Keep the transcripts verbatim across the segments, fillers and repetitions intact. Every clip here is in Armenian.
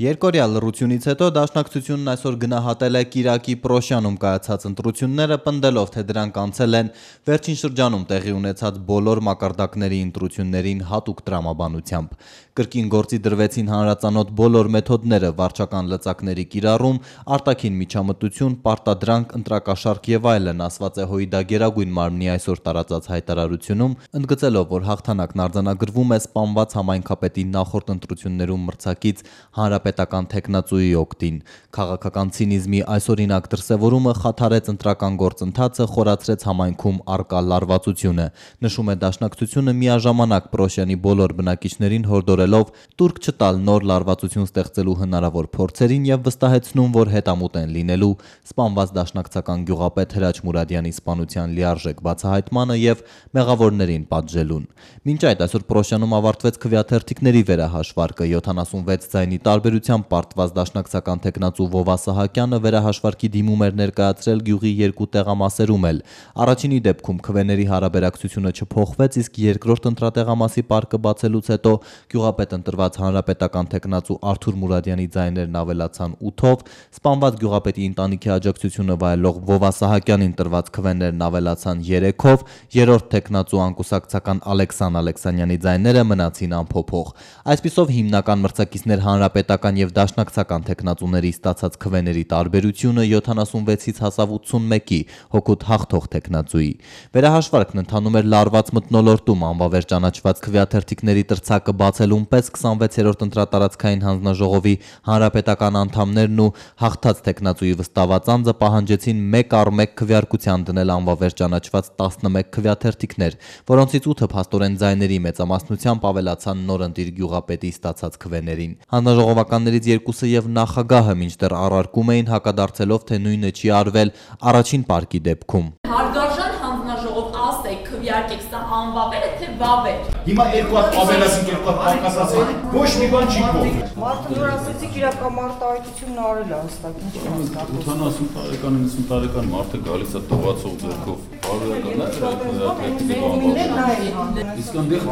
Երկօրյա լռությունից հետո Դաշնակցությունն այսօր գնահատել է Կիրակի Պրոշյանում կայացած ընտրությունները, պնդելով, թե դրանք անցել են վերջին շրջանում տեղի ունեցած բոլոր մակարդակների ընտրություններին հատուկ տրամաբանությամբ։ Կրկին գործի դրվեցին հանրածանոթ բոլոր մեթոդները՝ վարչական լծակների կիրառում, արտաքին միջամտություն, պարտադրանք, ընտրակաշառք եւ այլն, ասված է ՀՅԴ Գերագույն մարմնի այսօր տարածած հայտարարությունում, ընդգծելով, որ հաղթանակն արձանագրվում է սպանված համայնքապետի նախորդ ընտրություններում մրցակից հանրապետական թեկնածուի օգտին։ Քաղաքական ցինիզմի այսօրինակ դրսևորումը խաթարեց ընտրական գործընթացը, խորացրեց համայնքում առկա լարվածությունը։ Նշում է Դաշնակցությունը միաժամանակ Պրոշյանի բոլոր բնակիչներին հորդորելով տուրք չտալ նոր լարվածություն ստեղծելու հնարավոր փորձերին եւ վստահեցնում, որ հետամուտ են լինելու սպանված դաշնակցական գյուղապետ Հրաչ Մուրադյանի սպանության լիարժեք բացահայտմանը եւ մեղավորներին պատժելուն։ Մինչ այդ այսօր Պրոշյանում ավարտվեց քվեաթերթիկների վերահաշվարկը, յոթանասունվեց ձայնի տարբերությամբ պարտված դաշնակցական թեկնածու Վովա Սահակյանը վերահաշվարկի դիմում էր ներկայացրել գյուղի երկու տեղամասերում էլ։ Առաջինի դեպքում քվեների հարաբերակցությունը չփոխվեց, իսկ երկրորդ ընտրատեղամասի պարկը բացելուց հետո գյուղապետ ընտրված հանրապետական թեկնածու Արթուր Մուրադյանի ձայներն ավելացան ութով, սպանված գյուղապետի ընտանիքի աջակցությունը վայելող Վովա Սահակյանին տրված քվեներն ավելացան երեքով, երրորդ թեկնածու անկուսակցական Ալեքսան Ալեքսանյանի ձայները մնացին անփոփոխ։ Այսպիսով հիմնական մրցակիցներ հանրապետական եւ դաշնակցական թեկնածուների ստացած քվեների տարբերությունը յոթանասունվեցից հասավ ութսունմեկի, հօգուտ հաղթող թեկնածուի։ Վերահաշվարկն ընթանում էր լարված մթնոլորտում, անվավեր ճանաչված քվեաթերթիկների տրցակը բացելուն պես քսանվեցերորդ ընտրատարածքային հանձնաժողովի հանրապետական անդամներն ու հաղթած թեկնածուի վստահված անձը պահանջեցին մեկ առ մեկ քվեարկության դնել անվավեր ճանաչված տասնմեկ քվեաթերթիկներ, որոնցից ութը փաստորեն ձայների մեծամասնությամբ ավելացան նորընտիր գյուղապետի ստացած քվեներին։ Հանձնաժողովականներից երկուսը եւ նախագահը մինչդեռ առարկում էին, հակադարձելով, թե նույնը չի արվել առաջին պարկի դեպքում։ Հարգարժան հանձնաժողով, ասեք, քվեարկեք, սա անվավեր է թե վավեր։ Հիմա երկու հատ ավելացին, երկու հատ պակասացին, ոչ մի բան չի փոխվել։ Մարդը նոր ասեցիք իրակամարտահայտությունն արել է հստակ, ինչ կասկածում։ ութանասուն տարեկան, իննսուն տարեկան մարդը գալիս է տողացող ձեռքով։ Իսկ այնտեղ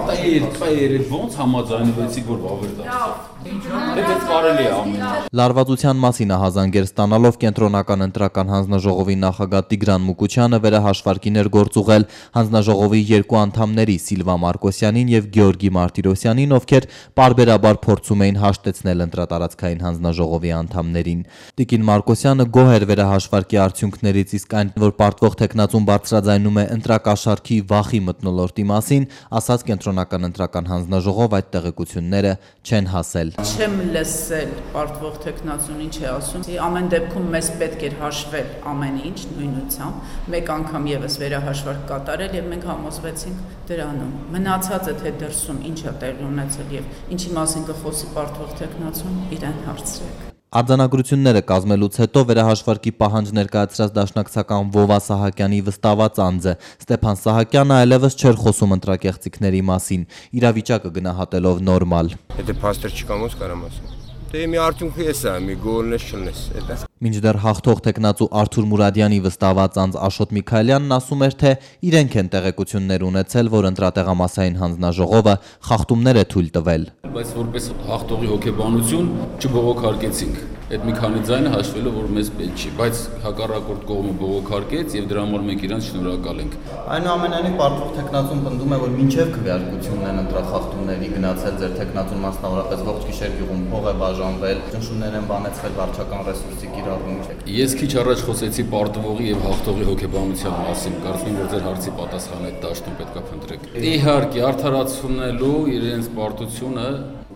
տայեր, ոնց համաձայնվեցիք, որ վավեր դարձավ։ Դա կարելի է ամեն։ Լարվածության մասին ահազանգեր ստանալով կենտրոնական ընտրական հանձնաժողովի նախագահ Տիգրան Մուկուչյանը վերահաշվարկին էր գործուղել հանձնաժողովի երկու անդամների Սիլվա Մարկոսյանին եւ Գեորգի Մարտիրոսյանին, ովքեր պարբերաբար փորձում էին հաշտեցնել ընտրատարածքային հանձնաժողովի անդամներին։ Տիկին Մարկոսյանը գոհ էր վերահաշվարկի արդյունքներից, իսկ այն, որ պարտվող թեկնածուն բարձրաձայնում է ընտրակաշառքի վախի մթնոլորտի մասին, ասաց կենտրոնական ընտրական հանձնաժողով, այդ տեղեկությունները չեն հասել։ Չեմ լսել պարտվող թեկնածուն ինչ է ասում։ Ամեն դեպքում մեզ պետք էր հաշվել ամեն ինչ նույնությամբ, մեկ անգամ եւս վերահաշվարկ կատարել եւ մենք համոզվեցինք դրանում։ Մնացածը թե դրսում ինչ է տեղի ունեցել եւ ինչի մասին կխոսի պարտվող թեկնածուն, իրեն հարցրեք։ Արձանագրությունները կազմելուց հետո վերահաշվարկի պահանջ ներկայացրած դաշնակցական Վովա Սահակյանի վստահված անձը Ստեփան Սահակյանը այլևս չէր խոսում ընտրակեղծիքների մասին, իրավիճակը գնահատելով նորմալ։ Եթե փաստեր չկան, ոնց կարամ ասել։ Դե մի արդյունքը էս է, մի գոլնես չլնես, էդ է։ Մինչդեռ հաղթող թեկնածու Արթուր Մուրադյանի վստահված անձ Աշոտ Միքայելյանն ասում էր, թե իրենք են տեղեկություններ ունեցել, որ ընտրատեղամասային հանձնաժողովը խախտումներ է թույլ տվել։ Բայց որպես հաղթողի հոգեբանություն չբողոքարկեցինք։ Այդ մի քանի ձայնը հաշվելով, որ մեզ պետք չի, բայց հակառակորդ կողմը բողոքարկեց եւ դրա համար մենք իրանց շնորհակալ ենք։ Այնուամենայնիվ պարտվող թեկնածուն պնդում է, որ մինչև քվեարկությունն են ընտրախախտումների գնացել ձեր թեկնածուն մասնավորապես ողջ գիշեր գյուղում փող է բաժանվել, ճնշումներ են բանեցվել վարչական ռեսուրսի կիրառում։ Ես քիչ առաջ խոսեցի պարտվողի եւ հաղթողի հոգեբանության մասին, կարծում եմ, որ ձեր հարցի պատասխանը այդ դաշտում պետքա փնտրեք։ Իհարկե, արդարացնելու իրենց պարտությունը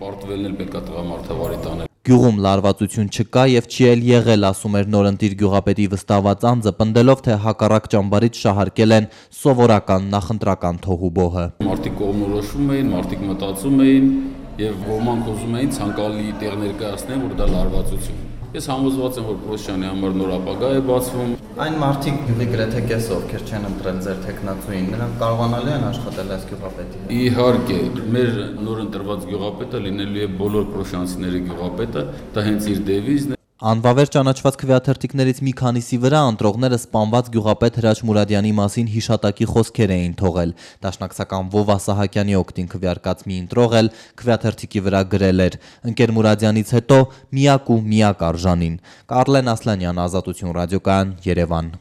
պարտվելն էլ պետքա տղամարդավարի տանել։ Գյուղում լարվածություն չկա եւ չի էլ եղել, ասում էր նորընտիր գյուղապետի վստահված անձը, պնդելով, թե հակառակ ճամբարից շահարկել են սովորական նախընտրական թոհուբոհը։ Մարդիկ կողմնորոշվում էին, մարդիկ մտածում էին եւ ոմանք ուզում էին ցանկալի տեղ ներկայացնել, որ դա լարվածություն։ Ես համոզված եմ, որ Պրոշյանի համար նոր ապագա է բացվում։ Այն մարդիկ գյուղի գրեթե կեսը, ովքեր չեն ընտրել ձեր թեկնածուին, նրանք կարողանալու են աշխատել այս գյուղապետի։ Իհարկե, մեր նոր ընտրված գյուղապետը լինելու է բոլոր պրոշյանցիների գյուղապետը, դա հենց իր դեվիզն է։ Անվավեր ճանաչված քվեաթերթիկներից մի քանիսի վրա ընտրողները սպանված գյուղապետ Հրաչ Մուրադյանի մասին հիշատակի խոսքեր էին թողել։ Դաշնակցական Վովա Սահակյանի օգտին քվեարկած մի ընտրող էլ քվեաթերթիկի վրա գրել էր. «Ընկեր Մուրադյանից հետո միակ ու միակ արժանին»։ Կարլեն Ասլանյան, Ազատություն ռադիոկայան, Երևան։